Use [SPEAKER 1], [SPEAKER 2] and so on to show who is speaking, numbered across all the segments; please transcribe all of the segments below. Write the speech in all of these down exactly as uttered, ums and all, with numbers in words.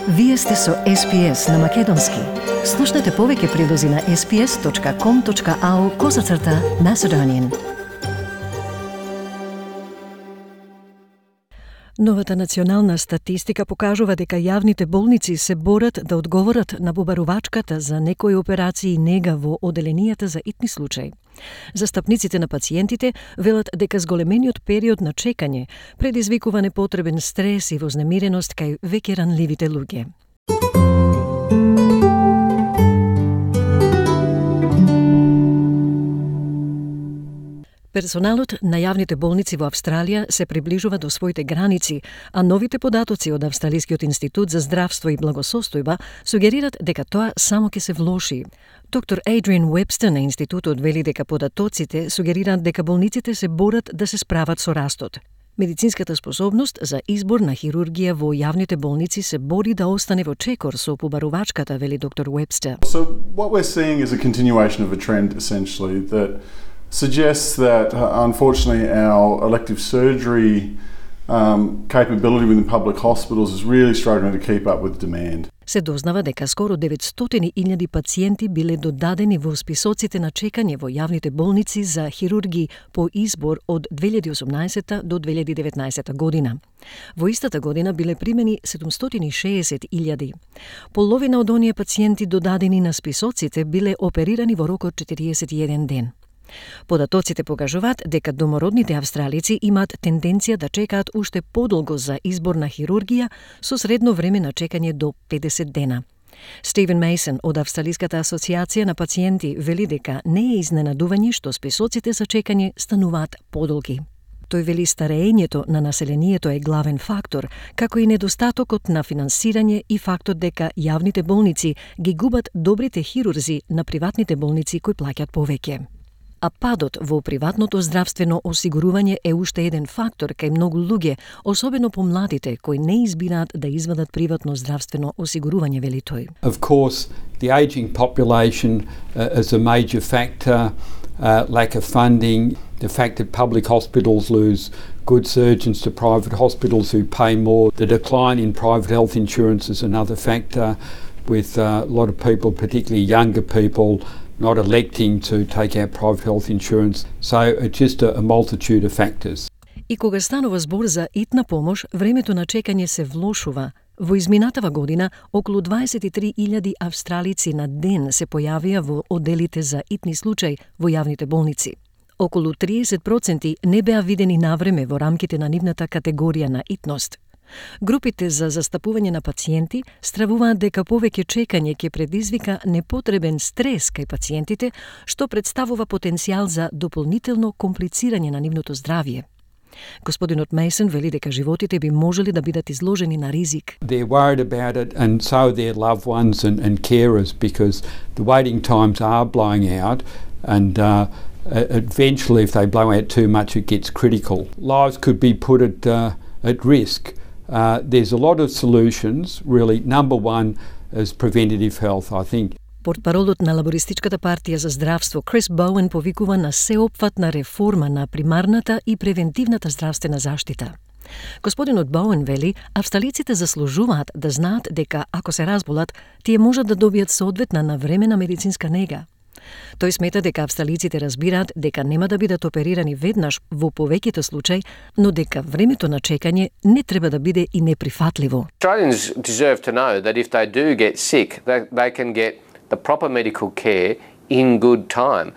[SPEAKER 1] Вие сте со Ес Пи Ес на Македонски. Слушнете повеќе прилози на ес пи ес точка ком точка ау козацрта Macedonian. Новата национална статистика покажува дека јавните болници се борат да одговорат на побарувачката за некои операции нега во оделенијата за итни случаи. Застапниците на пациентите велат дека зголемениот период на чекање предизвикува непотребен стрес и вознемиреност кај веќе ранливите луѓе. Персоналот на јавните болници во Австралија се приближува до своите граници, а новите податоци од Австралискиот институт за здравство и благосостојба сугерират дека тоа само ќе се влоши. Доктор Адриан Уебстер на институтот вели дека податоците сугерираат дека болниците се борат да се справат со растот. Медицинската способност за избор на хирургија во јавните болници се бори да остане во чекор со побарувачката, вели доктор Уебстер.
[SPEAKER 2] So what we're seeing is a continuation of a trend essentially that suggests that, uh, unfortunately, our elective surgery um, capability within public hospitals is really struggling to keep up with demand.
[SPEAKER 1] Се дознава дека скоро деветстотини илјади пациенти биле додадени во списоците на чекање во јавните болници за хирурги по избор од две илјади и осумнаесета до две илјади и деветнаесета година. Во истата година биле примени седумстотини и шеесет илјади. Половина од оние пациенти додадени на списоците биле оперирани во рок од четириесет и еден ден. Податоците покажуваат дека домородните австралици имаат тенденција да чекаат уште подолго за избор на хирургија со средно време на чекање до педесет дена. Стивен Мейсон од Австралиската асоциација на пациенти вели дека не е изненадување што списоците за чекање стануваат подолги. Тој вели стареењето на населението е главен фактор, како и недостатокот на финансирање и фактот дека јавните болници ги губат добрите хирурзи на приватните болници кои плаќаат повеќе. А падот во приватното здравствено осигурување е уште еден фактор кај многу луѓе, особено помладите кои не избираат да извадат приватно здравствено осигурување, вели тој.
[SPEAKER 3] Of course, the aging population uh, is a major factor, uh, lack of funding, the fact that public hospitals lose good surgeons to private hospitals who pay more, the decline in private health insurance is another factor, with uh, a lot of people, particularly younger people, not electing to take out private health insurance. So it's just a, a multitude of factors.
[SPEAKER 1] И кога станува збор за итна помош, времето на чекање се влошува. Во изминатава година, околу дваесет и три илјади австралици на ден се појавија во оделите за итни случаи во јавните болници. Околу триесет проценти не беа видени навреме во рамките на нивната категорија на итност. Групите за застапување на пациенти стравуваат дека повеќе чекање ќе предизвика непотребен стрес кај пациентите, што представува потенцијал за дополнително комплицирање на нивното здравје. Господинот Мейсон вели дека животите би можели да бидат изложени на ризик.
[SPEAKER 3] They're worried about it and so are their loved ones and, and carers because the waiting times are blowing out and uh, eventually if they blow out too much it gets critical. Lives could be put at, uh, at risk. Uh, there's a lot of solutions, really. Number one is preventative health, I think.
[SPEAKER 1] Портпаролот на Лабористичката партија за здравство Крис Боуен повикува на сеопфатна реформа на примарната и превентивната здравствена заштита. Господинот Боуен вели, австралиците заслужуваат да знаат дека ако се разболат, тие можат да добијат соодветна навремена медицинска нега. Тој смета дека австралиците разбираат дека нема да бидат оперирани веднаш во повеќето случаи, но дека времето на чекање не треба да биде и неприфатливо.
[SPEAKER 4] Australians deserve to know that if they do get sick, they, they can get the proper medical care in good time.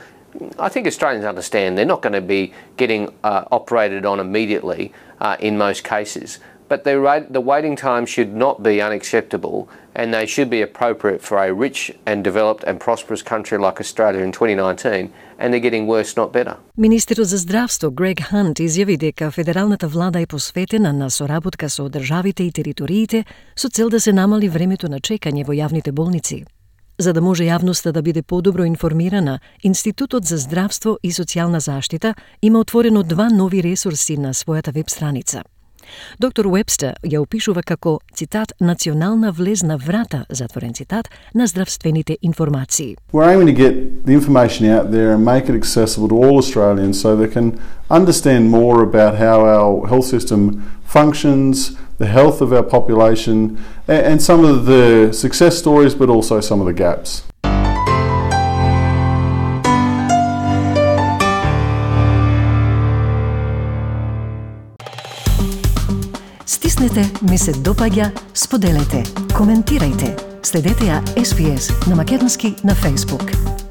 [SPEAKER 4] I think Australians understand they're not going to be getting uh, operated on immediately uh, in most cases. But the, the waiting time should not be unacceptable and they should be appropriate for a rich and developed and prosperous country like Australia in twenty nineteen, and they're getting worse, not better.
[SPEAKER 1] Министерот за здравство Грег Хант изјави дека федералната влада е посветена на соработка со државите и териториите со цел да се намали времето на чекање во јавните болници. За да може јавноста да биде подобро информирана, Институтот за здравство и социјална заштита има отворено два нови ресурси на својата веб страница. Доктор Уебстер ја опишува како, цитат, национална влезна врата, затворен цитат, на здравствените информации.
[SPEAKER 2] We're aiming to get the information out there and make it accessible to all Australians so they can understand more about how our health system functions, the health of our population, and, and some of the success stories, but also some of the gaps.
[SPEAKER 1] Стиснете, ми се допаѓа, споделете, коментирајте. Следете ја Ес Би Ес на македонски на Facebook.